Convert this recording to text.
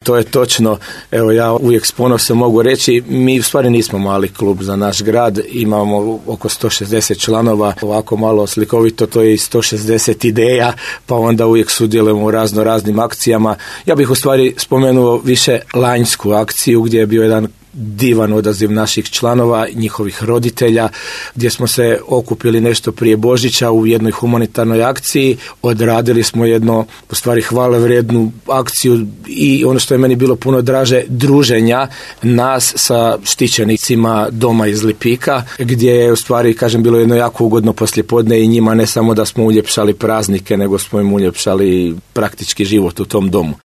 To je točno. Evo, ja uvijek s ponosom mogu reći, mi u stvari nismo mali klub za naš grad, imamo oko 160 članova, ovako malo slikovito, to je i 160 ideja, pa onda uvijek sudjelujemo u raznim akcijama. Ja bih u stvari spomenuo više lanjsku akciju gdje je bio jedan divan odaziv naših članova, njihovih roditelja, gdje smo se okupili nešto prije Božića u jednoj humanitarnoj akciji, odradili smo jedno, u stvari hvalevrijednu akciju i ono što je meni bilo puno draže, druženja nas sa štićenicima doma iz Lipika, gdje je u stvari, kažem, bilo jedno jako ugodno poslijepodne i njima ne samo da smo uljepšali praznike, nego smo im uljepšali praktički život u tom domu.